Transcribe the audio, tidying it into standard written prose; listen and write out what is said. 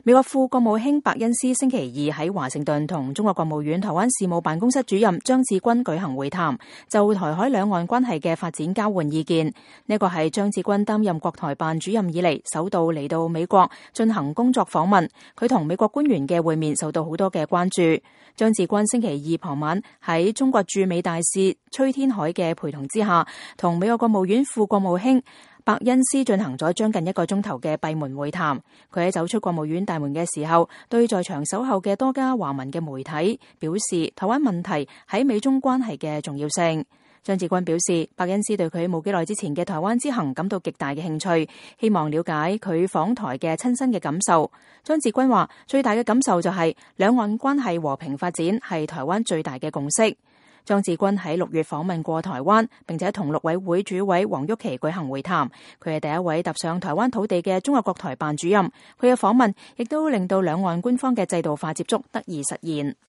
美國副國務卿伯恩斯星期二喺華盛頓同中國國務院台灣事務辦公室主任張志軍舉行會談，就台海兩岸關係嘅發展交換意見。呢個係張志軍擔任國台辦主任以嚟首度嚟到美國進行工作訪問，佢同美國官員嘅會面受到好多嘅關注。張志軍星期二傍晚喺中國駐美大使崔天凱嘅陪同之下，同美國國務院副國務卿伯恩斯進行咗將近1個鐘頭嘅閉門會談。佢喺走出國務院大門嘅時候，對在場守候嘅多家華文嘅媒體表示台灣問題喺美中關係嘅重要性。張志軍表示，伯恩斯對佢冇幾耐之前嘅台灣之行感到極大嘅興趣，希望了解佢訪台嘅親身嘅感受。張志軍話，最大嘅感受就係兩岸關係和平發展係台灣最大嘅共識。張志軍喺6月訪問過台灣，並且同陸委會主委黃郁琪舉行會談。佢係第一位踏上台灣土地嘅中國國台辦主任。佢嘅訪問亦都令到兩岸官方嘅制度化接觸得以實現。